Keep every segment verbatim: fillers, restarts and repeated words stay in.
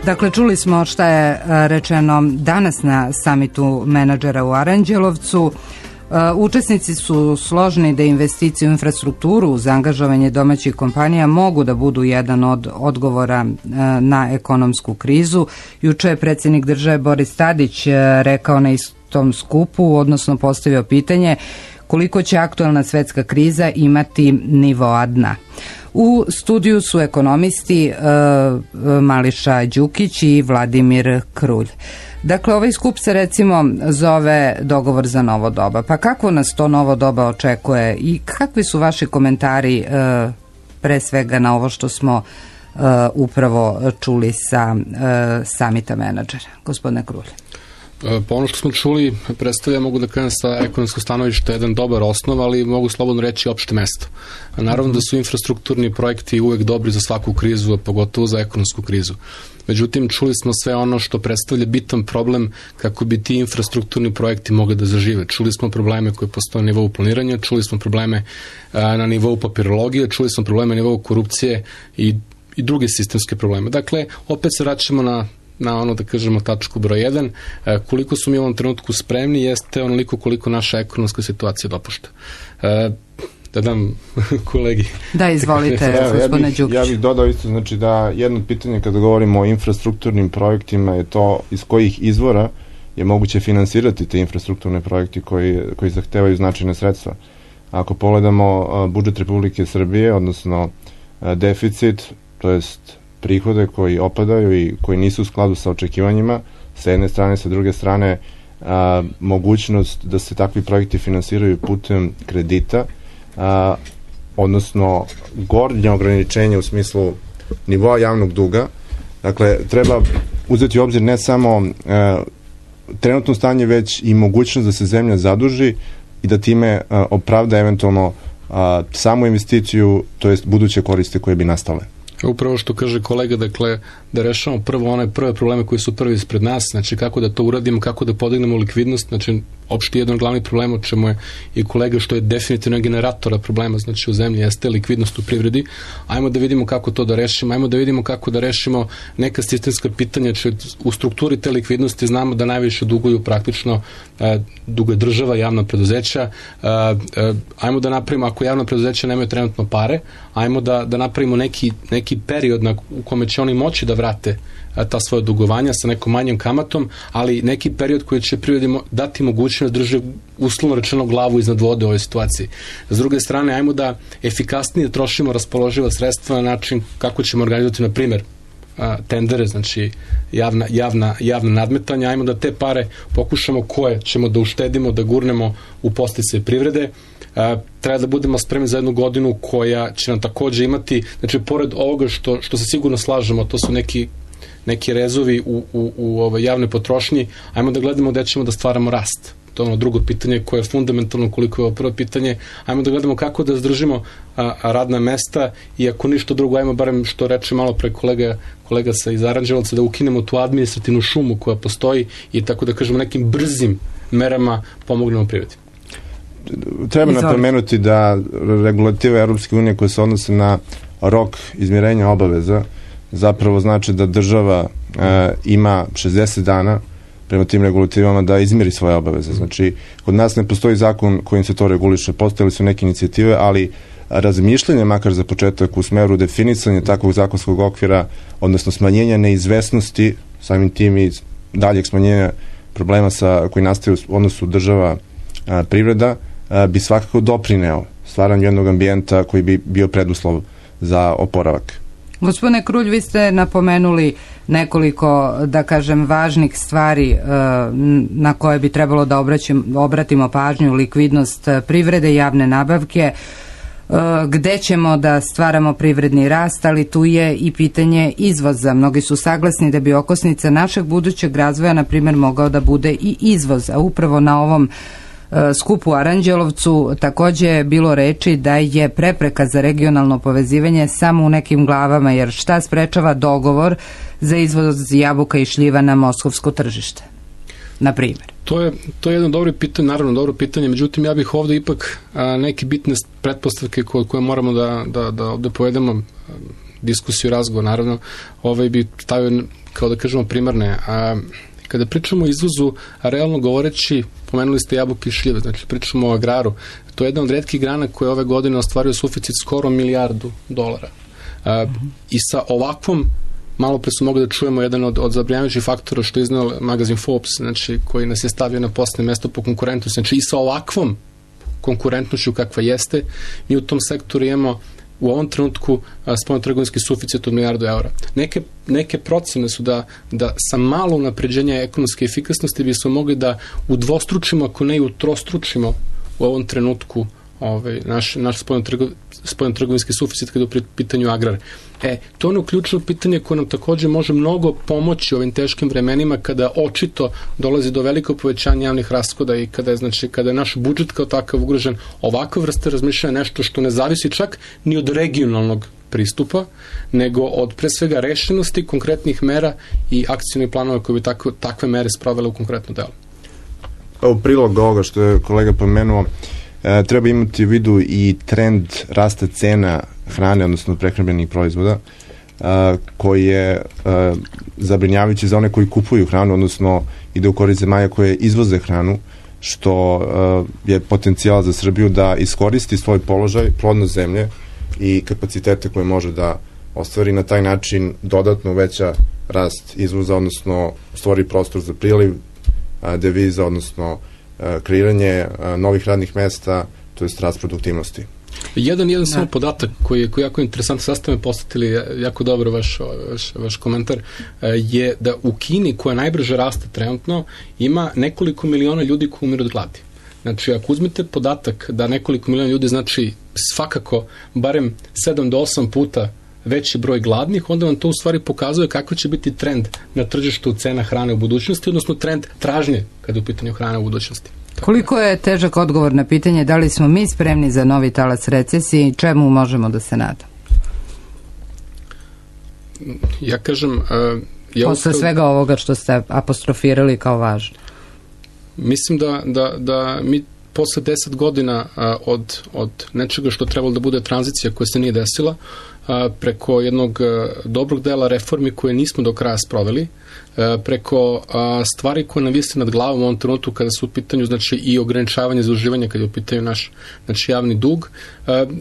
Dakle, čuli smo šta je rečeno danas na samitu menadžera u Aranđelovcu. Učesnici su složni da investicije u infrastrukturu za angažovanje domaćih kompanija mogu da budu jedan od odgovora na ekonomsku krizu. Juče je predsjednik države Boris Tadić rekao na istom skupu, odnosno postavio pitanje koliko će aktualna svetska kriza imati nivoa dna. U studiju su ekonomisti e, Mališa Đukić i Vladimir Krulj. Dakle, ovaj skup se recimo zove dogovor za novo doba. Pa kako nas to novo doba očekuje i kakvi su vaši komentari e, pre svega na ovo što smo e, upravo čuli sa e, samita menadžera? Gospodine Krulj. Po ono što smo čuli, predstavlja, mogu da kažem sa ekonomskog stanovišta jedan dobar osnov, ali mogu slobodno reći opšte mesto. Naravno da su infrastrukturni projekti uvek dobri za svaku krizu, a pogotovo za ekonomsku krizu. Međutim, čuli smo sve ono što predstavlja bitan problem kako bi ti infrastrukturni projekti mogli da zažive. Čuli smo probleme koje postoje na nivou planiranja, čuli smo probleme na nivou papirologije, čuli smo probleme na nivou korupcije i, i druge sistemske probleme. Dakle, opet se vraćamo na na ono, da kažemo, tačku broj jedan, koliko su mi u ovom trenutku spremni jeste onoliko koliko naša ekonomska situacija dopušta. Da dam kolegi. Da, izvolite, gospodine Đukić. Ja bih dodao isto, znači da jedno pitanje kada govorimo o infrastrukturnim projektima je to iz kojih izvora je moguće finansirati te infrastrukturne projekte koji, koji zahtevaju značajne sredstva. Ako pogledamo budžet Republike Srbije, odnosno deficit, to jest prihode koji opadaju i koji nisu u skladu sa očekivanjima, sa jedne strane, sa druge strane a, mogućnost da se takvi projekti finansiraju putem kredita, a, odnosno gornje ograničenje u smislu nivoa javnog duga. Dakle, treba uzeti u obzir ne samo a, trenutno stanje, već i mogućnost da se zemlja zaduži i da time a, opravda eventualno a, samu investiciju, to jest buduće koriste koje bi nastale. Upravo što kaže kolega, dakle, da rešavamo prvo one prve probleme koji su prvi ispred nas, znači kako da to uradimo, kako da podignemo likvidnost, znači opšte jedan od glavnih problema, o čemu je i kolega, što je definitivno generatora problema, znači u zemlji jeste likvidnost u privredi. Ajmo da vidimo kako to da rešimo, ajmo da vidimo kako da rešimo neka sistemska pitanja, če u strukturi te likvidnosti znamo da najviše duguju praktično e, dugo je država, javna preduzeća, e, e, ajmo da napravimo, ako javna preduzeća nemaju trenutno pare, ajmo da, da napravimo neki, neki period na, u kome će oni moći da vrate ta svoje dugovanja sa nekom manjom kamatom, ali neki period koji će privredi dati mogućnost da drže uslovno rečeno glavu iznad vode u ovoj situaciji. S druge strane, ajmo da efikasnije trošimo raspoloživa sredstva na način kako ćemo organizovati, na primjer, tendere, znači javna, javna, javna nadmetanja, ajmo da te pare pokušamo koje ćemo da uštedimo, da gurnemo u podsticaj privrede. Uh, treba da budemo spremni za jednu godinu koja će nam takođe imati, znači pored ovoga što, što se sigurno slažemo, to su neki, neki rezovi u, u, u ovoj javnoj potrošnji, ajmo da gledamo gde ćemo da stvaramo rast. To je ono drugo pitanje koje je fundamentalno koliko je ovo prvo pitanje. Ajmo da gledamo kako da zadržimo a, a radna mesta i ako ništa drugo, ajmo barem što reče malo pre kolega, kolega sa iz Aranđelovca, da ukinemo tu administrativnu šumu koja postoji i tako da kažemo nekim brzim merama pomognemo privredi. Treba napomenuti da regulative Europske unije koje se odnose na rok izmirenja obaveza zapravo znači da država e, ima šezdeset dana prema tim regulativama da izmiri svoje obaveze. Znači, kod nas ne postoji zakon kojim se to reguliše. Postojali su neke inicijative, ali razmišljanje, makar za početak, u smeru definisanja takvog zakonskog okvira, odnosno smanjenja neizvesnosti, samim tim i daljeg smanjenja problema sa, koji nastaju u odnosu država a, privreda, a, bi svakako doprineo stvaranju jednog ambijenta koji bi bio preduslov za oporavak. Gospodine Krulj, vi ste napomenuli nekoliko, da kažem, važnih stvari na koje bi trebalo da obratimo pažnju: likvidnost privrede, javne nabavke, gde ćemo da stvaramo privredni rast, ali tu je i pitanje izvoza. Mnogi su saglasni da bi okosnica našeg budućeg razvoja, na primjer, mogao da bude i izvoz, a upravo na ovom skupu u Aranđelovcu takođe je bilo reči da je prepreka za regionalno povezivanje samo u nekim glavama, jer šta sprečava dogovor za izvoz jabuka i šljiva na moskovsko tržište, na primjer? To je, to je jedno dobro pitanje, naravno dobro pitanje, međutim ja bih ovde ipak a, neke bitne pretpostavke koje, koje moramo da, da, da ovde povedemo. diskusiju, razgovor, naravno, ovaj bi stavio, kao da kažemo, primarne. A kada pričamo o izvozu, a realno govoreći, pomenuli ste jabuke i šljive, znači pričamo o agraru, to je jedna od retkih grana koja ove godine ostvaruje suficit skoro milijardu dolara. A, mm-hmm. I sa ovakvom, malo pre su mogli da čujemo jedan od, od zabrinjavajućih faktora što je iznao magazin Forbes, znači koji nas je stavio na poslednje mesto po konkurentnosti, znači i sa ovakvom konkurentnošću kakva jeste, mi u tom sektoru imamo u ovom trenutku spoljnotrgovinski suficit od milijardu eura. Neke, neke procene su da, da sa malo unapređenja ekonomske efikasnosti bi smo mogli da udvostručimo, ako ne i utrostručimo u ovom trenutku ovaj, naš, naš spoljnotrgovinski suficit kada je u pitanju agrar. E, to je ono ključno pitanje koje nam takođe može mnogo pomoći u ovim teškim vremenima kada očito dolazi do velikog povećanja javnih rashoda i kada je, znači, kada je naš budžet kao takav ugrožen. Ovakva vrsta razmišljanja nešto što ne zavisi čak ni od regionalnog pristupa, nego od pre svega rešenosti, konkretnih mera i akcijnih planova koje bi tako, takve mere spravile u konkretno delo. U prilog ovoga što je kolega pomenuo, E, treba imati u vidu i trend rasta cena hrane, odnosno prehrambenih proizvoda, a, koji je a, zabrinjavajući za one koji kupuju hranu, odnosno ide u korist zemalja koje izvoze hranu, što a, je potencijal za Srbiju da iskoristi svoj položaj, plodnost zemlje i kapacitete koje može da ostvari, na taj način dodatno uveća rast izvoza, odnosno stvori prostor za priliv a, deviza, odnosno kreiranje novih radnih mesta, to je rast produktivnosti. Jedan, jedan samo podatak koji je, koji je jako interesantan, sad ste me postatili jako dobro vaš, vaš, vaš komentar, je da u Kini, koja najbrže raste trenutno, ima nekoliko miliona ljudi koji umiru od gladi. Znači, ako uzmete podatak da nekoliko miliona ljudi znači svakako barem sedam do osam puta veći broj gladnih, onda vam to u stvari pokazuje kako će biti trend na tržištu cena hrane u budućnosti, odnosno trend tražnje kada je u pitanju hrane u budućnosti. Koliko je težak odgovor na pitanje da li smo mi spremni za novi talas recesije i čemu možemo da se nadamo? Ja kažem... Uh, ja Posle ustav... svega ovoga što ste apostrofirali kao važno. Mislim da, da, da mi posle deset godina uh, od, od nečega što trebalo da bude tranzicija koja se nije desila, preko jednog dobrog dela reformi koje nismo do kraja sproveli, preko stvari koje nam vise nad glavom u ovom trenutku kada su u pitanju, znači, i ograničavanje zaduživanja kada je u pitanju naš, znači, javni dug.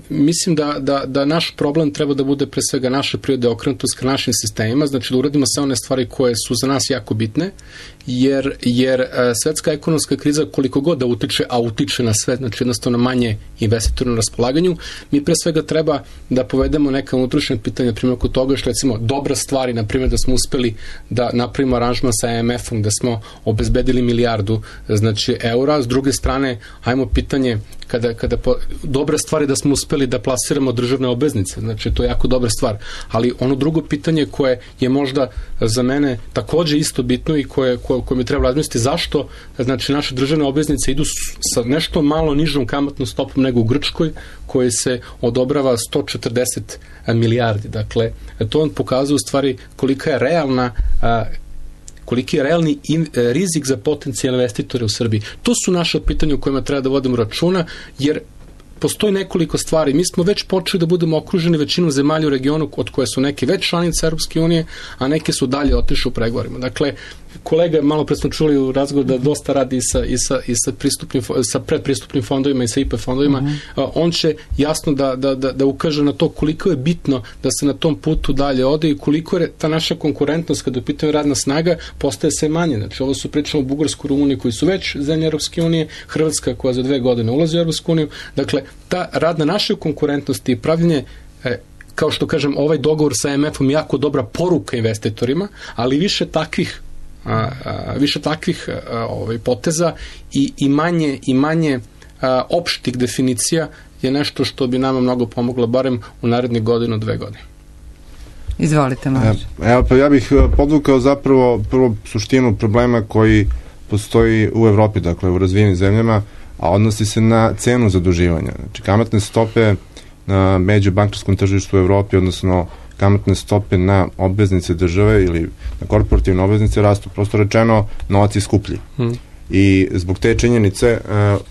Mislim da, da, da naš problem treba da bude pre svega naše prirode okrenutost ka našim sistemima, znači da uradimo sve one stvari koje su za nas jako bitne, jer, jer svetska ekonomska kriza koliko god da utiče, a utiče na sve, znači jednostavno manje investitora na raspolaganju, mi pre svega treba da povedemo neka unutrašnja pitanja, na primjer, kod toga što, recimo, dobra stvari, na primjer, da smo uspeli da napravimo aranžman sa E M F-om, da smo obezbedili milijardu, znači, eura. S druge strane, ajmo pitanje, kada, kada po, dobra stvar je da smo uspeli da plasiramo državne obveznice, znači, to je jako dobra stvar. Ali ono drugo pitanje koje je možda za mene takođe isto bitno i koje, koje, koje mi treba razmisliti, zašto, znači, naše državne obveznice idu sa nešto malo nižom kamatnom stopom nego u Grčkoj, koje se odobrava sto četrdeset milijardi. Dakle, to on pokazuje u stvari kolika je realna a, koliki je realni in, rizik za potencijalne investitore u Srbiji. To su naše pitanja u kojima treba da vodimo računa, jer postoji nekoliko stvari. Mi smo već počeli da budemo okruženi većinom zemalja u regionu, od koje su neke već članice Europske unije, a neke su dalje otišle u pregovorima. Dakle, kolega, malo pre smo čuli u razgovoru da dosta radi i sa, i sa, i sa, pristupnim, sa predpristupnim fondovima i sa I P fondovima. Mm-hmm. On će jasno da, da, da, da ukaže na to koliko je bitno da se na tom putu dalje ode i koliko je ta naša konkurentnost kada je u pitanju radna snaga postaje sve manje. Znači, ovo su pričamo o Bugarsku, Rumuniji koji su već zemlje Europske unije, Hrvatska koja za dve godine ulazi u Europsku uniju. Dakle, ta rad na našoj konkurentnosti i pravljenje, e, kao što kažem, ovaj dogovor sa E M F-om je jako dobra poruka investitorima, ali više takvih A, a, više takvih a, ovaj, poteza i, i manje, i manje a, opštih definicija je nešto što bi nama mnogo pomoglo, barem u narednih godinu, dve godine. Izvolite, Marko. Evo, pa ja bih podvukao zapravo prvo suštinu problema koji postoji u Evropi, dakle u razvijenim zemljama, a odnosi se na cenu zaduživanja. Znači, kamatne stope na međubankarskom tržištu u Evropi, odnosno kamatne stope na obveznice države ili na korporativne obveznice rastu, prosto rečeno, novac je skuplji. Hmm. I zbog te činjenice uh,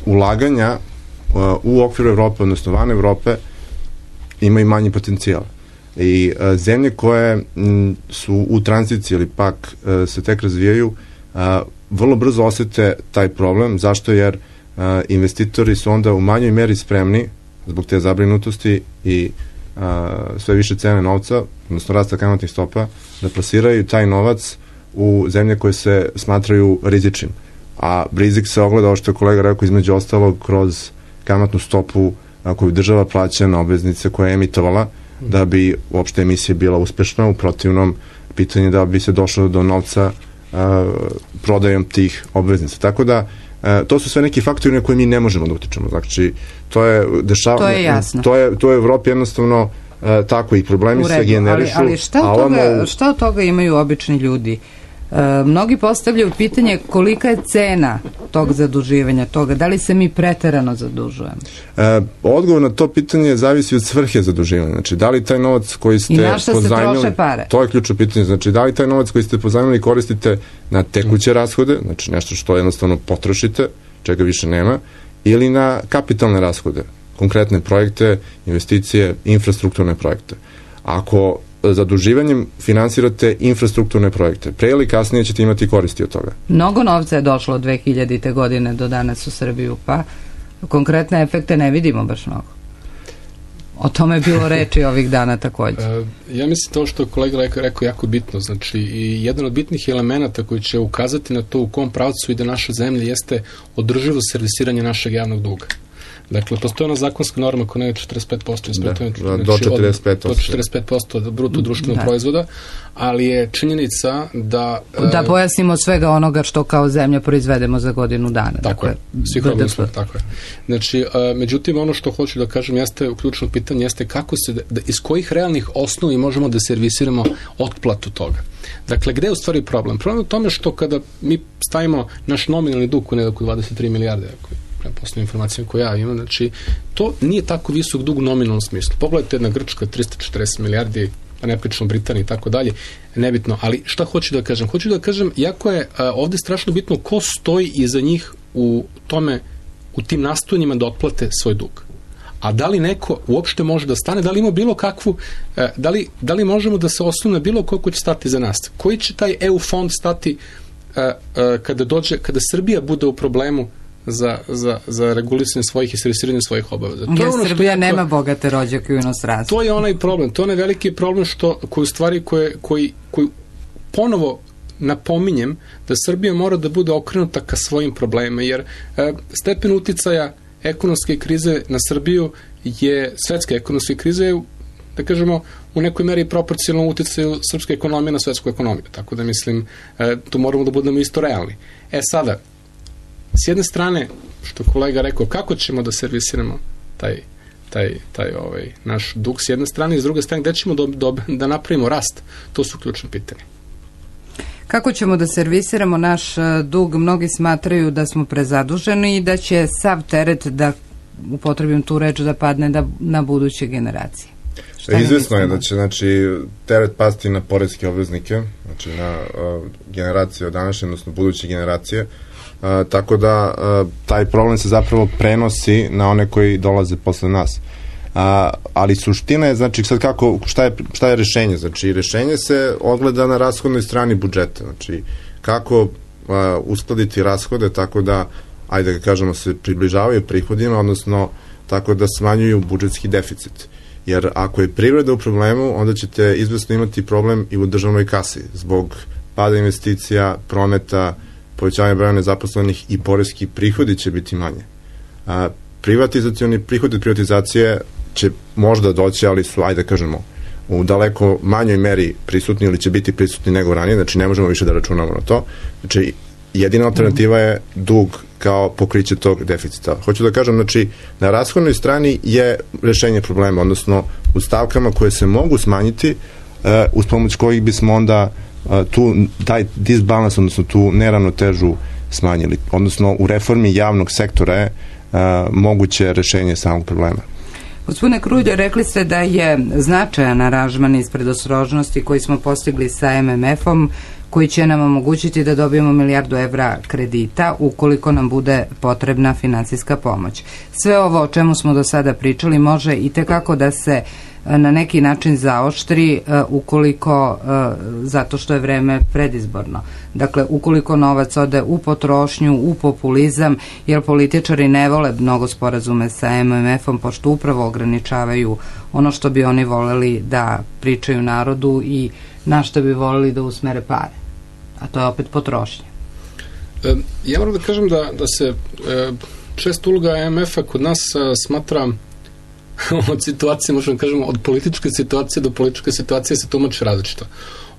ulaganja uh, u okviru Evrope, odnosno van Evrope, ima i manji potencijal. I a, zemlje koje m, su u tranziciji ili pak a, se tek razvijaju, a, vrlo brzo osete taj problem. Zašto? Jer a, investitori su onda u manjoj meri spremni zbog te zabrinutosti i a, sve više cene novca, odnosno rasta kamatnih stopa, da plasiraju taj novac u zemlje koje se smatraju rizičnim. A rizik se ogleda, ovo što je kolega rekao, između ostalog kroz kamatnu stopu a, koju država plaća na obveznice koje je emitovala, da bi uopšte emisija bila uspešna. U protivnom, pitanje da bi se došlo do novca a, prodajom tih obveznica. Tako da, a, to su sve neki faktori na koje mi ne možemo da utičemo. Znači, to je dešavanje... To je jasno. To je, to je u Evropi jednostavno a, tako i problemi se generišu. Ali, ali šta, od toga, šta od toga imaju obični ljudi? E, mnogi postavljaju pitanje kolika je cena tog zaduživanja, toga, da li se mi preterano zadužujemo? E, odgovor na to pitanje zavisi od svrhe zaduživanja. Znači, da li taj novac koji ste pozajmili... I na šta se troše pare? To je ključno pitanje. Znači, da li taj novac koji ste pozajmili koristite na tekuće rashode, znači nešto što jednostavno potrošite, čega više nema, ili na kapitalne rashode, konkretne projekte, investicije, infrastrukturne projekte. Ako zaduživanjem finansirate infrastrukturne projekte, pre ili kasnije ćete imati koristi od toga. Mnogo novca je došlo od dve hiljadite godine do danas u Srbiju, pa konkretne efekte ne vidimo baš mnogo. O tome je bilo reči ovih dana takođe. Uh, ja mislim to što je kolega rekao, rekao jako bitno, znači i jedan od bitnih elemenata koji će ukazati na to u kom pravcu ide naša zemlja jeste održivo servisiranje našeg javnog duga. Dakle, postoje ona zakonska norma koja je četrdeset pet posto da, znači, do četrdeset pet posto do četrdeset pet posto bruto društvenog da. proizvoda, ali je činjenica da... Da pojasnimo svega onoga što kao zemlja proizvedemo za godinu dana. Tako dakle, je, svih robnih smo, tako je. Znači, a, međutim, ono što hoću da kažem jeste, ključno pitanje jeste kako se, da, iz kojih realnih osnovi možemo da servisiramo otplatu toga. Dakle, gde je u stvari problem? Problem je u tome što kada mi stavimo naš nominalni dug u nekako dvadeset tri milijarde, ako prema poslednjim informacijama koje ja imam, znači, to nije tako visok dug u nominalnom smislu. Pogledajte jedna Grčka, trista četrdeset milijardi, a ne pričamo Britaniji i tako dalje, nebitno, ali šta hoću da kažem? Hoću da kažem, jako je a, ovde strašno bitno ko stoji iza njih u tome, u tim nastojanjima da otplate svoj dug. A da li neko uopšte može da stane, da li ima bilo kakvu, a, da, li, da li možemo da se osnovne bilo ko ko će stati za nas? Koji će taj E U fond stati a, a, kada dođe, kada Srbija bude u problemu za, za, za regulisanje svojih i servisiranje svojih obaveza. To je ono Srbija što, nema bogate rođake u inostranstvu. To je onaj problem, to je onaj veliki problem što, koji u stvari koje, koji, koji ponovo napominjem da Srbija mora da bude okrenuta ka svojim problemima, jer e, stepen uticaja ekonomske krize na Srbiju je, svetske ekonomske krize je, da kažemo, u nekoj meri proporcionalno uticaju srpske ekonomije na svetsku ekonomiju. Tako da mislim, e, tu moramo da budemo isto realni. E sada, s jedne strane, što kolega rekao, kako ćemo da servisiramo taj, taj, taj ovaj, naš dug s jedne strane i s druge strane, gde ćemo do, do, da napravimo rast? To su ključne pitanje. Kako ćemo da servisiramo naš dug? Mnogi smatraju da smo prezaduženi i da će sav teret, da upotrebim tu reč, da padne da, na buduće generacije. Šta izvesno je da će, znači, teret pasti na poreske obveznike, znači na uh, generacije od današnje, odnosno buduće generacije. Uh, tako da uh, taj problem se zapravo prenosi na one koji dolaze posle nas. Uh, ali suština je, znači, sad kako, šta je, šta je rešenje? Znači, rešenje se ogleda na rashodnoj strani budžeta. Znači, kako uh, uskladiti rashode tako da, ajde da kažemo, se približavaju prihodima, odnosno tako da smanjuju budžetski deficit. Jer ako je privreda u problemu, onda ćete izvesno imati problem i u državnoj kasi, zbog pada investicija, prometa, povećanje broja nezaposlenih i poreski prihodi će biti manje. A, privatizacioni prihodi od privatizacije će možda doći, ali su, ajde kažemo, u daleko manjoj meri prisutni ili će biti prisutni nego ranije, znači ne možemo više da računamo na to. Znači, jedina alternativa je dug kao pokriće tog deficita. Hoću da kažem, znači, na rashodnoj strani je rešenje problema, odnosno u stavkama koje se mogu smanjiti, uh, uz pomoć kojih bismo onda uh, tu, taj disbalans, odnosno tu neravnotežu smanjili. Odnosno, u reformi javnog sektora je uh, moguće rešenje samog problema. Gospodine Krulj, rekli ste da je značajan aranžman iz predostrožnosti koji smo postigli sa M M F-om, koji će nam omogućiti da dobijemo milijardu evra kredita ukoliko nam bude potrebna finansijska pomoć. Sve ovo o čemu smo do sada pričali može i tekako da se na neki način zaoštri ukoliko, zato što je vreme predizborno. Dakle, ukoliko novac ode u potrošnju, u populizam, jer političari ne vole mnogo sporazume sa M M F-om, pošto upravo ograničavaju ono što bi oni voleli da pričaju narodu i na što bi voleli da usmere pare. A to je opet potrošnja. E, ja moram da kažem da, da se e, često uloga M M F-a kod nas a, smatra od situacije, možemo kažemo, od političke situacije do političke situacije se tumače različito.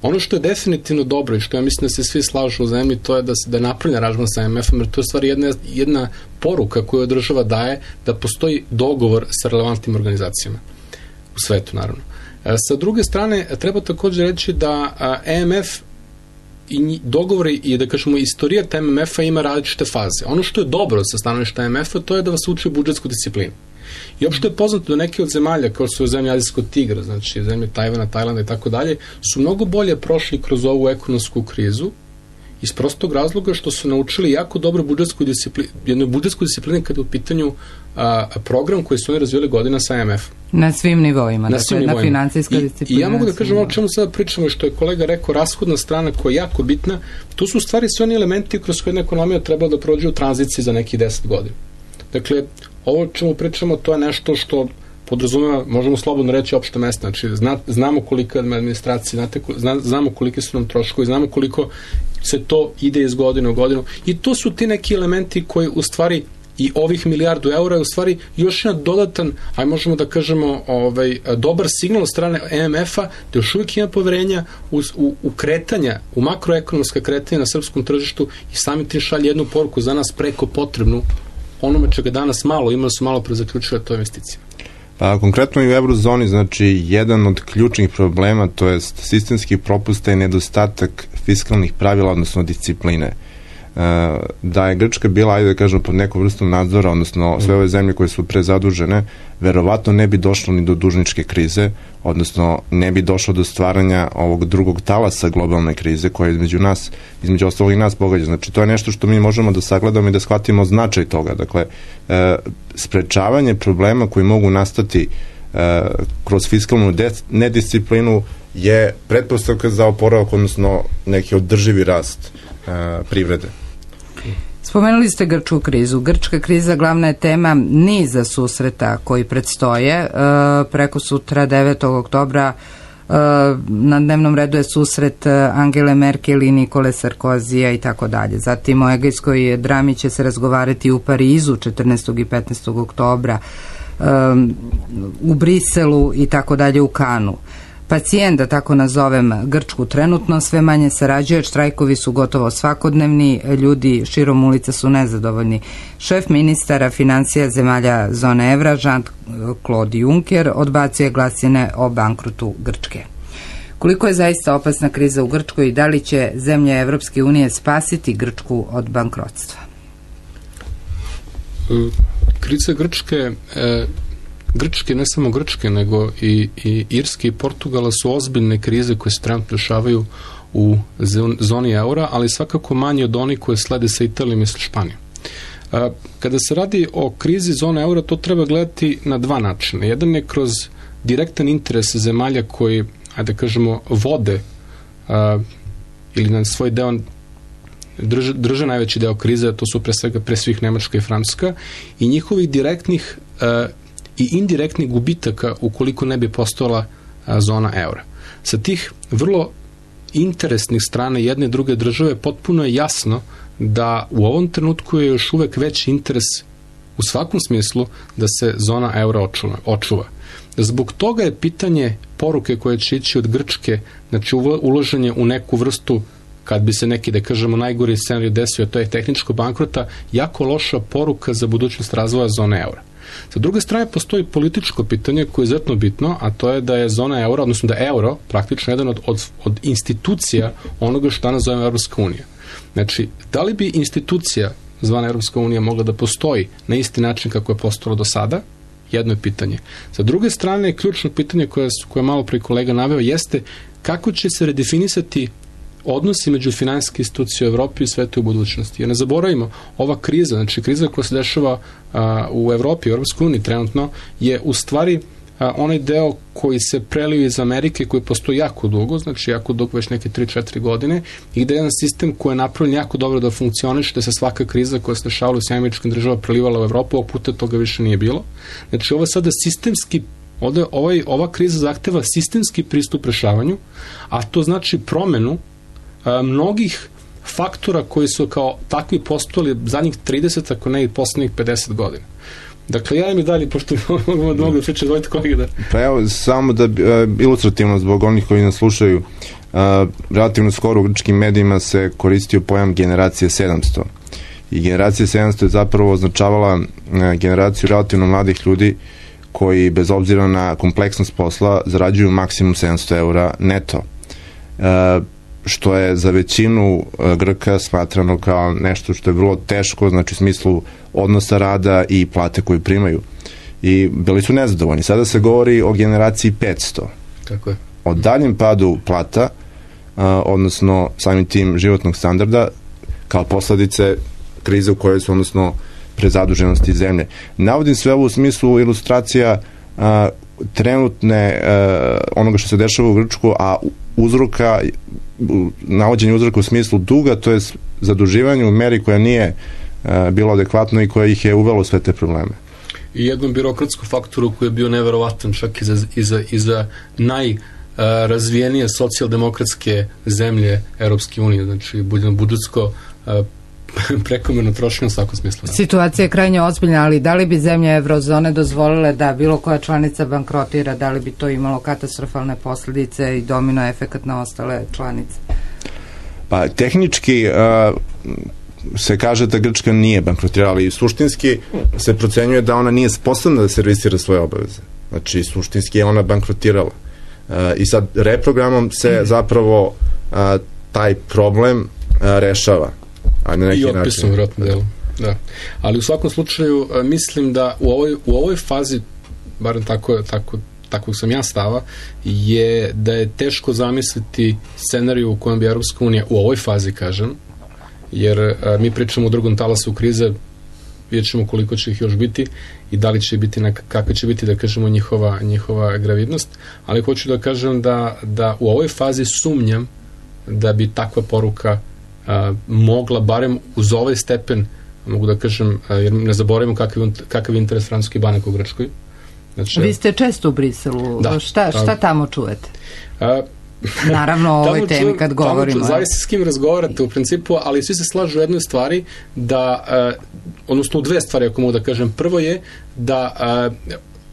Ono što je definitivno dobro i što ja mislim da se svi slažu u zemlji, to je da se da je napravljen aranžman sa M M F-om, jer to je stvari jedna, jedna poruka koju država daje da postoji dogovor sa relevantnim organizacijama u svetu, naravno. E, sa druge strane, treba također reći da a, M M F i dogovori i da kažemo istorija M M F-a ima različite faze. Ono što je dobro sa stanovišta M M F-a, to je da vas uči budžetsku disciplinu. I opšte je poznato da neke od zemalja, kao su zemlje Azijskog tigra, znači zemlje Tajvana, Tajlanda i tako dalje, su mnogo bolje prošli kroz ovu ekonomsku krizu iz prostog razloga što su naučili jako dobro budžetsku disciplinu, jednu budžetsku disciplinu kada je u pitanju a, program koji su oni razvijeli godina sa M M F. Na svim nivoima, na, dakle, svim nivoima. Na financijska disciplina. I, I ja mogu da kažem o čemu sada pričamo, što je kolega rekao, rashodna strana koja je jako bitna, to su u stvari sve oni elementi kroz koje jedna ekonomija treba da prođe u tranziciji za nekih deset godina. Dakle, ovo čemu pričamo, to je nešto što podrazumeva, možemo slobodno reći, opšte mesto. Znači, zna, znamo koliko je administracija, znate, zna, znamo kolike su nam troškovi, znamo koliko se to ide iz godine u godinu. I to su ti neki elementi koji u stvari i ovih milijardu eura je u stvari još jedan dodatan, aj možemo da kažemo, ovaj, dobar signal od strane M M F-a da još uvijek ima poverenja u, u, u kretanja, u makroekonomska kretanja na srpskom tržištu i sami tim šalje jednu poruku za nas preko potrebnu onome čega danas malo, imali su malo pre zaključili, to investicije. Pa, konkretno i u eurozoni, znači, jedan od ključnih problema, to je sistemski propusta i nedostatak fiskalnih pravila, odnosno discipline. Da je Grčka bila, ajde da kažemo, pod nekom vrstom nadzora, odnosno sve ove zemlje koje su prezadužene, verovatno ne bi došlo ni do dužničke krize, odnosno ne bi došlo do stvaranja ovog drugog talasa globalne krize koja između nas, između ostalog i nas pogađa. Znači, to je nešto što mi možemo da sagledamo i da shvatimo značaj toga. Dakle, e, sprečavanje problema koji mogu nastati e, kroz fiskalnu nedisciplinu je pretpostavka za oporavak, odnosno neki održivi rast e, privrede. Spomenuli ste grčku krizu. Grčka kriza glavna je tema niza susreta koji predstoje. E, preko sutra devetog oktobra e, na dnevnom redu je susret Angele Merkel i Nikole Sarkozija i tako dalje. Zatim o egejskoj drami će se razgovarati u Parizu četrnaestog i petnaestog oktobra, e, u Briselu i tako dalje, u Kanu. Pacijent, da tako nazovem Grčku, trenutno sve manje sarađuje, štrajkovi su gotovo svakodnevni, ljudi širom ulica su nezadovoljni. Šef ministara financija zemalja zone evra, Jean-Claude Juncker, odbacio je glasine o bankrotu Grčke. Koliko je zaista opasna kriza u Grčkoj i da li će zemlje Evropske unije spasiti Grčku od bankrotstva? Kriza Grčke... E... Grčke, ne samo Grčke, nego i, i Irske i Portugala su ozbiljne krize koje se trenutno dešavaju u zoni eura, ali svakako manje od onih koje slede sa Italijom i sa Španijom. Kada se radi o krizi zone eura, to treba gledati na dva načina. Jedan je kroz direktan interes zemalja koji, ajde da kažemo, vode a, ili na svoj deo drže, drže najveći deo krize, to su pre svega pre svih Nemačka i Francuska, i njihovih direktnih a, i indirektnih gubitaka ukoliko ne bi postojala a, zona eura. Sa tih vrlo interesnih strana jedne i druge države potpuno je jasno da u ovom trenutku je još uvek veći interes u svakom smislu da se zona eura očuva. očuva. Zbog toga je pitanje poruke koje će ići od Grčke, znači uloženje u neku vrstu, kad bi se neki, da kažemo, najgori scenarij desio, to je tehničko bankrota, jako loša poruka za budućnost razvoja zone eura. Sa druge strane, postoji političko pitanje koje je izuzetno bitno, a to je da je zona eura, odnosno da je euro praktično jedan od, od, od institucija onoga što danas zovemo Evropska unija. Znači, da li bi institucija zvana Evropska unija mogla da postoji na isti način kako je postojalo do sada? Jedno je pitanje. Sa druge strane, ključno pitanje koje, koje je malo pre kolega naveo jeste kako će se redefinisati odnosi među finansijske institucije u Evropi i svetu u budućnosti. Jer ne zaboravimo, ova kriza, znači kriza koja se dešava a, u Evropi, u Evropskoj uniji trenutno, je u stvari a, onaj deo koji se prelio iz Amerike, koji postoji jako dugo, znači jako dugo, već neke tri četiri godine, i gde je jedan sistem koji je napravljen jako dobro da funkcioniše, da se svaka kriza koja se dešavala u Sjedinjenim Američkim Državama prelivala u Evropu, ovog puta toga više nije bilo. Znači ovo je sada sistemski, ovde, ovaj, ova kriza zahteva sistemski pristup rešavanju, a to znači promenu a, mnogih faktora koji su kao takvi postojali zadnjih trideset, ako ne i poslednjih pedeset godina. Dakle, ja mi dalje, pošto mogu da mogu da pričam, dvojte kolege da... Pa evo, samo da ilustrativno zbog onih koji nas slušaju, uh, relativno skoro u grčkim medijima se koristio pojam generacije sedamsto. I generacija sedamsto je zapravo označavala uh, generaciju relativno mladih ljudi koji, bez obzira na kompleksnost posla, zarađuju maksimum sedamsto eura neto. Uh, što je za većinu Grka smatrano kao nešto što je vrlo teško, znači u smislu odnosa rada i plate koju primaju. I bili su nezadovoljni. Sada se govori o generaciji petsto. Tako je. O daljem padu plata, a, odnosno samim tim životnog standarda, kao posledice krize u kojoj su, odnosno prezaduženosti zemlje. Navodim sve ovo u smislu ilustracija a, trenutne a, onoga što se dešava u Grčku, a uzroka navođenje uzroka u smislu duga, to je zaduživanje u meri koja nije uh, bilo adekvatno i koja ih je uvelo sve te probleme. I jednom birokratskom faktoru koji je bio neverovatan čak i za, i za, i za najrazvijenije socijaldemokratske zemlje Europske unije, znači budžetsko uh, prekomerno trošenje u svakom smislu. Da. Situacija je krajnje ozbiljna, ali da li bi zemlje Eurozone dozvolile da bilo koja članica bankrotira, da li bi to imalo katastrofalne posljedice i domino efekat na ostale članice? Pa tehnički uh, se kaže da Grčka nije bankrotirala, ali suštinski se procenjuje da ona nije sposobna da servisira svoje obaveze. Znači suštinski je ona bankrotirala. Uh, I sad reprogramom se zapravo uh, taj problem uh, rešava. I otpisom vjerojatno delu. Da. Ali u svakom slučaju mislim da u ovoj, u ovoj fazi, barem tako, tako, tako sam ja stava, je da je teško zamisliti scenariju u kojem bi Europska unija u ovoj fazi, kažem, jer a, mi pričamo o drugom talasu krize, vidjet ćemo koliko će ih još biti i da li će biti, kakva će biti, da kažemo, njihova, njihova gravidnost, ali hoću da kažem da, da u ovoj fazi sumnjam da bi takva poruka Uh, mogla, barem uz ovaj stepen, mogu da kažem, uh, jer ne zaboravimo kakav, kakav interes francuskih banaka u Grčkoj. Znači, vi ste često u Briselu, da, šta, šta tamo čujete? Uh, Naravno o ovoj temi kad govorimo. Tamo zavisi s kim razgovarate u principu, ali svi se slažu u jednoj stvari da, uh, odnosno u dve stvari, ako mogu da kažem. Prvo je da uh,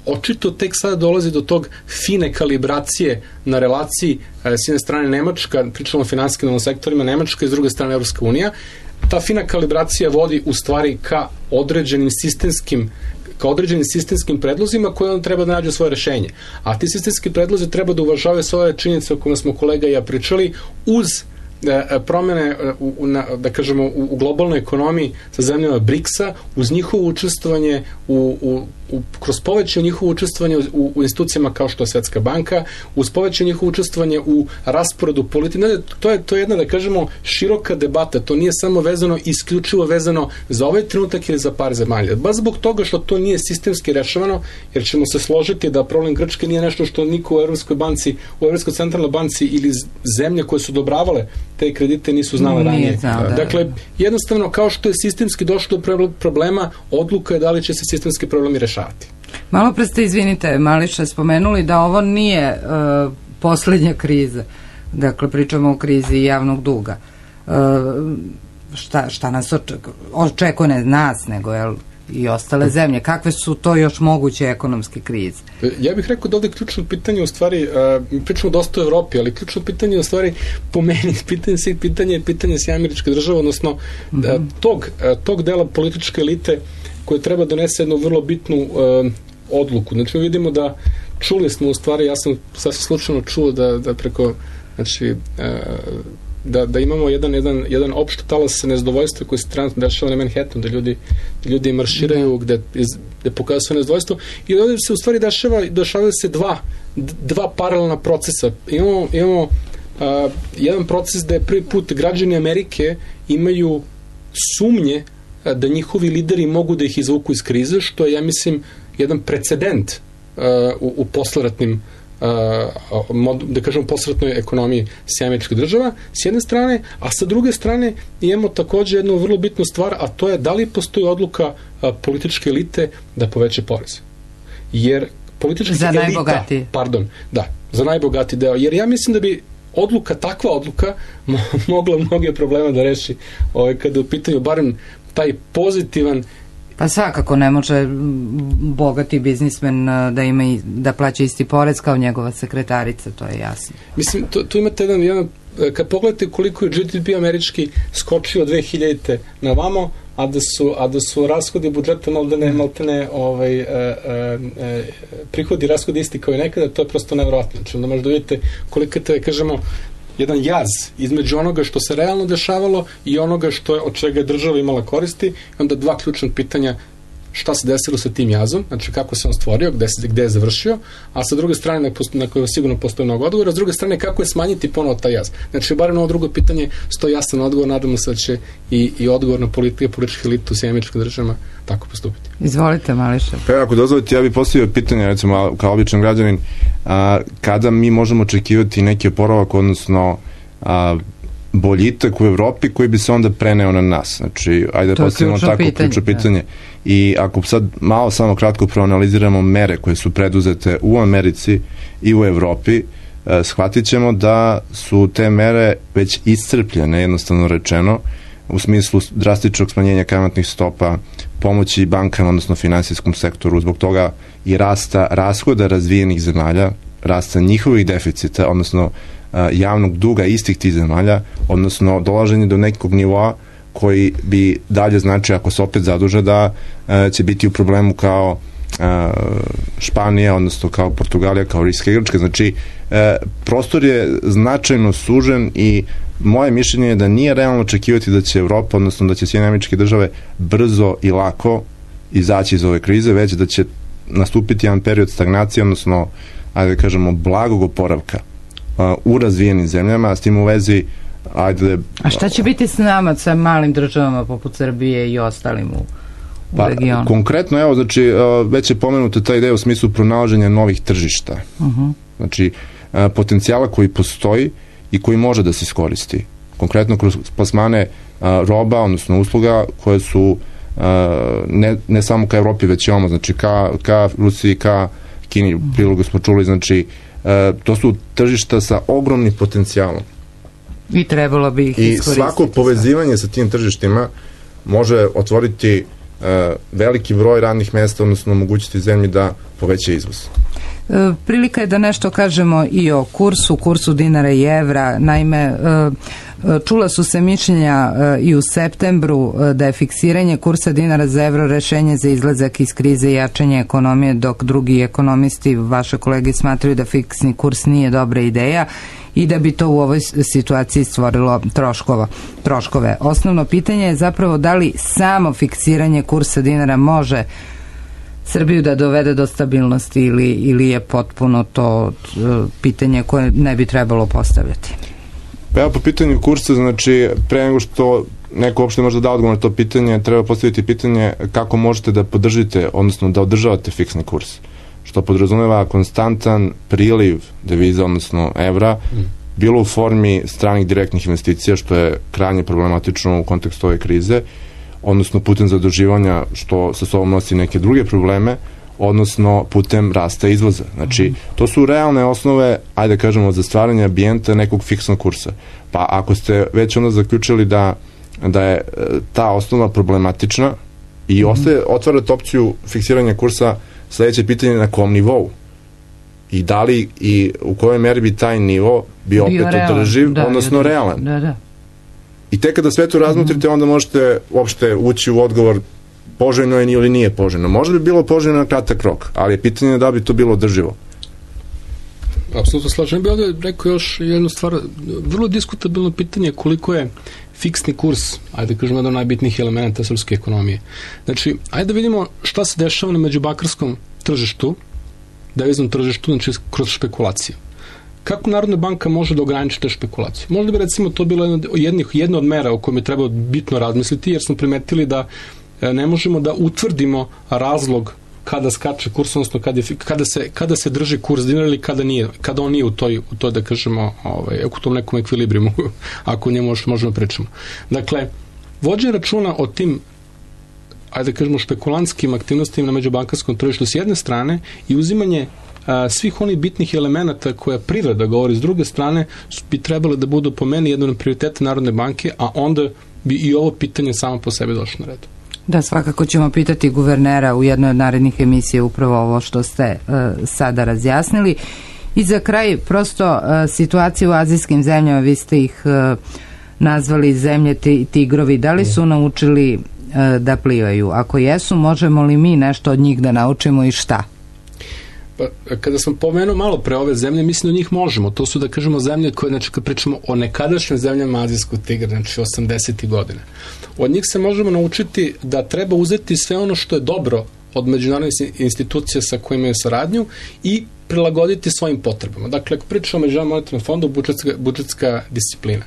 očito tek sada dolazi do tog fine kalibracije na relaciji s jedne strane Nemačka, pričamo o finansijskim sektorima, Nemačka i s druge strane Evropska unija. Ta fina kalibracija vodi u stvari ka određenim sistemskim ka određenim sistemskim predlozima koje on treba da nađe svoje rešenje. A ti sistemski predlozi treba da uvažavaju svoje činjenice o kojima smo kolega i ja pričali, uz promene u, u, na, da kažemo u, u globalnoj ekonomiji sa zemljama briksa, uz njihovo učestvovanje u, u, u, kroz povećanje njihovo učestvovanje u, u institucijama kao što je Svetska banka, uz povećanje njihovo učestvovanje u rasporedu politike. To je, to je jedna, da kažemo, široka debata. To nije samo vezano, isključivo vezano za ovaj trenutak ili za par zemalja. Baš zbog toga što to nije sistemski rešavano, jer ćemo se složiti da problem Grčke nije nešto što niko u Evropskoj banci, u Evropskoj centralnoj banci ili zemlje koje su odobravale te kredite nisu znale ranije. Znao, da. Dakle, jednostavno, kao što je sistemski došlo do problema, odluka je da li će se sistemski problemi rešavati. Malo pre ste, izvinite, Mališa, spomenuli da ovo nije uh, poslednja kriza. Dakle, pričamo o krizi javnog duga. Uh, šta, šta nas očekuje? Očekuje ne nas, nego jel, i ostale zemlje. Kakve su to još moguće ekonomske krize? Ja bih rekao da ovdje ključno pitanje u stvari, uh, pričamo dosta o Evropi, ali ključno pitanje u stvari po meni, pitanje svih pitanja je pitanje Sjedinjenih Američkih Država, odnosno mm -hmm. uh, tog, uh, tog dela političke elite koje treba donese jednu vrlo bitnu uh, odluku. Znači mi vidimo da čuli smo u stvari, ja sam sasvim slučajno čuo da, da preko, znači, uh, da, da imamo jedan, jedan, jedan opšte talas nezadovoljstva koji se trenutno dešava na Manhattanu, da ljudi, da ljudi marširaju, gde, gde pokazuju svoje nezadovoljstvo, i ovdje se u stvari dešava, dešavaju se dva, dva paralelna procesa. Imamo, imamo uh, jedan proces da je prvi put građani Amerike imaju sumnje uh, da njihovi lideri mogu da ih izvuku iz krize, što je, ja mislim, jedan precedent u, u posleratnim Uh, da kažemo posretnoj ekonomiji Sjedinjenih Američkih Država s jedne strane, a sa druge strane imamo takođe jednu vrlo bitnu stvar, a to je da li postoji odluka uh, političke elite da poveće poreze. Jer politička za elita, najbogatiji. Pardon, da, za najbogati deo. Jer ja mislim da bi odluka, takva odluka mogla mnoge probleme da reši ovaj, kada u pitanju barem taj pozitivan. Pa svakako ne može bogati biznismen da ima i, da plaća isti porez kao njegova sekretarica, to je jasno. Mislim, tu, tu imate jedan, jedan, kad pogledate koliko je G D P američki skočio dve hiljadite na vamo, a da su, a da su rashodi budžeta maltene, maltene ovaj, e, e, prihodi i rashodi isti kao i nekada, to je prosto nevjerojatno. Znači, onda možda vidite koliko te, kažemo, jedan jaz između onoga što se realno dešavalo i onoga što je, od čega je država imala koristi, i onda dva ključna pitanja: šta se desilo sa tim jazom, znači kako se on stvorio, gde, se, gde je završio, a sa druge strane, na, na koje sigurno postoji mnogo odgovora, a s druge strane kako je smanjiti ponovo taj jaz. Znači, barem na ovo drugo pitanje stoji jasan odgovor, nadamo se da će i, i odgovor na politike, političke elite u Sjedinjenim Američkim Državama tako postupiti. Izvolite, Mališa. Pa ako dozvolite, ja bih postavio pitanje, recimo, kao običan građanin, a, kada mi možemo očekivati neki oporavak, odnosno a, boljitak u Evropi koji bi se onda preneo na nas. Znači, ajde da postavimo tako ključno pitanje. I ako sad malo samo kratko proanaliziramo mere koje su preduzete u Americi i u Evropi, eh, shvatit ćemo da su te mere već iscrpljene, jednostavno rečeno, u smislu drastičnog smanjenja kamatnih stopa, pomoći bankama, odnosno finansijskom sektoru, zbog toga i rasta rashoda razvijenih zemalja, rasta njihovih deficita, odnosno eh, javnog duga istih tih zemalja, odnosno dolaženje do nekog nivoa koji bi dalje znači, ako se opet zaduže, da e, će biti u problemu kao e, Španija, odnosno kao Portugalija, kao Irska i Grčka. Znači, e, prostor je značajno sužen i moje mišljenje je da nije realno očekivati da će Evropa, odnosno da će Sjedinjene Američke Države brzo i lako izaći iz ove krize, već da će nastupiti jedan period stagnacije, odnosno, ajde da kažemo, blagog oporavka a, u razvijenim zemljama, s tim u vezi ajde... A šta će biti s nama, sa malim državama poput Srbije i ostalim u, u pa, regionu? Konkretno, evo, znači, već je pomenuta ta ideja u smislu pronalaženja novih tržišta. Uh-huh. Znači, potencijala koji postoji i koji može da se iskoristi. Konkretno kroz plasmane roba, odnosno usluga, koje su ne, ne samo ka Evropi, već i ovamo, znači ka, ka Rusiji, ka Kini, u prilogu smo čuli, znači, to su tržišta sa ogromnim potencijalom. I trebalo bi ih I iskoristiti. I svako povezivanje sa tim tržištima može otvoriti uh, veliki broj radnih mesta, odnosno omogućiti zemlji da poveća izvoz. E, prilika je da nešto kažemo i o kursu, kursu dinara i evra. Naime, e, čula su se mišljenja e, i u septembru e, da je fiksiranje kursa dinara za evro rešenje za izlazak iz krize i jačanje ekonomije, dok drugi ekonomisti, vaše kolege, smatraju da fiksni kurs nije dobra ideja i da bi to u ovoj situaciji stvorilo troškova, troškove. Osnovno pitanje je zapravo da li samo fiksiranje kursa dinara može Srbiju da dovede do stabilnosti ili, ili je potpuno to uh, pitanje koje ne bi trebalo postavljati. Pa ja po pitanju kursa, znači pre nego što neko uopšte može da odgovor na to pitanje, treba postaviti pitanje kako možete da podržite, odnosno da održavate fiksni kurs, što podrazumeva konstantan priliv deviza, odnosno evra, mm. bilo u formi stranih direktnih investicija, što je krajnje problematično u kontekstu ove krize, odnosno putem zaduživanja, što sa sobom nosi neke druge probleme, odnosno putem rasta izvoza. Znači, to su realne osnove, ajde da kažemo, za stvaranje ambijenta nekog fiksnog kursa. Pa ako ste već onda zaključili da, da je ta osnova problematična i ostaje, otvarate opciju fiksiranja kursa, sledeće pitanje je na kom nivou i da li i u kojoj meri bi taj nivo bio opet održiv, da, odnosno da, realan. Da, da. I tek kada sve to razmotrite, onda možete uopšte ući u odgovor poželjno je ili nije poželjno. Možda bi bilo poželjno na kratak rok, ali je pitanje da bi to bilo održivo. Apsolutno slažem. Bi ovdje rekao još jednu stvar, vrlo diskutabilno pitanje koliko je fiksni kurs, ajde da kažemo, jedan od najbitnijih elementa srpske ekonomije. Znači, ajde da vidimo šta se dešava na međubakarskom tržištu, deviznom tržištu, znači kroz špekulacije. Kako Narodna banka može da ograniči te špekulacije? Možda bi recimo to bilo jednih, jedna od mera o kojoj je trebalo bitno razmisliti, jer smo primetili da ne možemo da utvrdimo razlog kada skače kurs, odnosno kada, je, kada, se, kada se drži kurs dinara ili kada, nije, kada on nije u toj, u toj da kažemo, ovaj, u tom nekom ekvilibrijumu, ako njemu možemo pričamo. Dakle, vođenje računa o tim, ajde da kažemo, špekulantskim aktivnostima na međubankarskom tržištu s jedne strane i uzimanje a, svih onih bitnih elemenata koja privreda govori s druge strane bi trebalo da budu po meni jedno od prioriteta Narodne banke, a onda bi i ovo pitanje samo po sebi došlo na red. Da, svakako ćemo pitati guvernera u jednoj od narednih emisija upravo ovo što ste uh, sada razjasnili. I za kraj, prosto uh, situacija u azijskim zemljama, vi ste ih uh, nazvali zemlje tigrovi, da li su naučili uh, da plivaju? Ako jesu, možemo li mi nešto od njih da naučimo i šta? Pa, kada sam pomenuo malo pre ove zemlje, mislim da njih možemo. To su, da kažemo, zemlje koje, znači, kad pričamo o nekadašnjim zemljama azijskog tigra, znači osamdesetih godina. Od njih se možemo naučiti da treba uzeti sve ono što je dobro od međunarodnih institucija sa kojima je saradnju i prilagoditi svojim potrebama. Dakle, ako pričamo o Međunarodnom monetarnom fondu, budžetska, budžetska disciplina.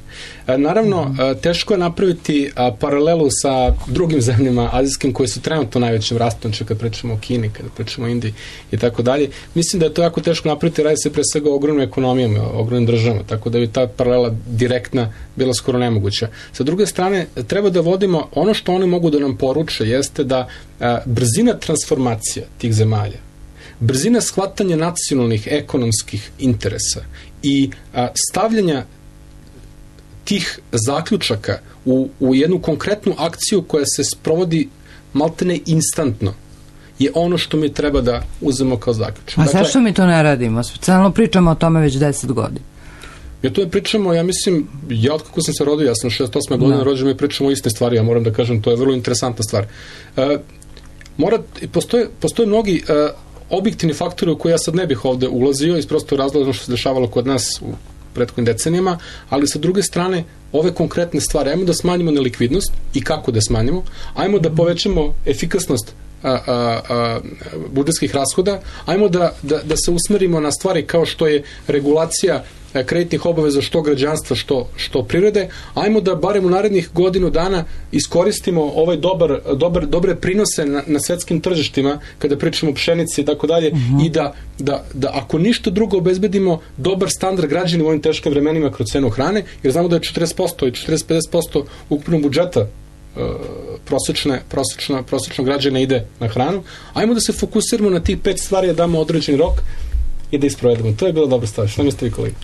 E, naravno, mm. e, teško je napraviti a, paralelu sa drugim zemljama azijskim koje su trenutno najvećim rastom, kad pričamo o Kini, kada pričamo o Indiji i tako dalje. Mislim da je to jako teško napraviti, radi se pre svega o ogromnim ekonomijama, o ogromnim državama, tako da bi ta paralela direktna bila skoro nemoguća. Sa druge strane, treba da vodimo, ono što oni mogu da nam poruče jeste da a, brzina transformacija tih zemalja, brzina shvatanja nacionalnih ekonomskih interesa i a, stavljanja tih zaključaka u, u jednu konkretnu akciju koja se sprovodi maltene instantno je ono što mi treba da uzmemo kao zaključak. A dakle, zašto mi to ne radimo? Specijalno pričamo o tome već deset godina. Ja to je pričamo, ja mislim, ja od kako sam se rodio, ja sam šezdeset osme godine rođen, mi pričamo o iste stvari, ja moram da kažem, to je vrlo interesantna stvar. E, mora, postoje, postoje mnogi e, objektivni faktori u koje ja sad ne bih ovde ulazio iz prostog razloga što se dešavalo kod nas u prethodnim decenijama, ali sa druge strane ove konkretne stvari, ajmo da smanjimo nelikvidnost i kako da smanjimo, ajmo da povećamo efikasnost a, a, a, budžetskih rashoda, ajmo da, da, da se usmerimo na stvari kao što je regulacija kreditnih obaveza što građanstva, što, što privrede, ajmo da barem u narednih godinu dana iskoristimo ovaj dobar, dobar, dobre prinose na, na svetskim tržištima, kada pričamo o pšenici i tako dalje, i da, da, da ako ništa drugo obezbedimo dobar standard građana u ovim teškim vremenima kroz cenu hrane, jer znamo da je četrdeset posto i četrdeset do pedeset posto ukupnog budžeta prosečne, prosečna, prosečnog građana ide na hranu, ajmo da se fokusiramo na tih pet stvari, da damo određeni rok i da isprovedemo. To je bila dobra stvar. Šta mislite vi, kolega?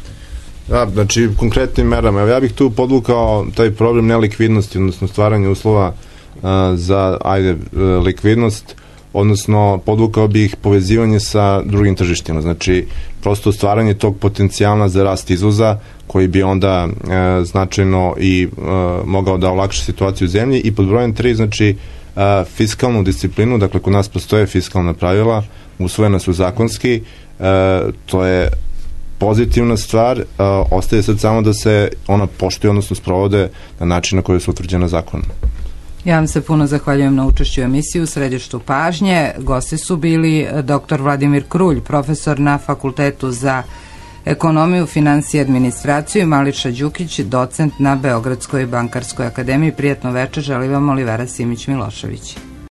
Da, znači, konkretnim merama. Evo, ja bih tu podvukao taj problem nelikvidnosti, odnosno stvaranje uslova uh, za, ajde, uh, likvidnost, odnosno podvukao bih povezivanje sa drugim tržištima. Znači, prosto stvaranje tog potencijala za rast izvoza, koji bi onda uh, značajno i uh, mogao da olakša situaciju u zemlji. I pod brojem tri, znači, uh, fiskalnu disciplinu, dakle, kod nas postoje fiskalna pravila, usvojena su zakonski, uh, to je pozitivna stvar, uh, ostaje sad samo da se ona poštuje, odnosno sprovode na način na koji su utvrđena zakonom. Ja vam se puno zahvaljujem na učešću u emisiji u središtu pažnje. Gosti su bili doktor Vladimir Krulj, profesor na Fakultetu za ekonomiju, finansije i administraciju, i Mališa Đukić, docent na Beogradskoj bankarskoj akademiji. Prijatno večer, želi vam Olivera Simić-Milošević.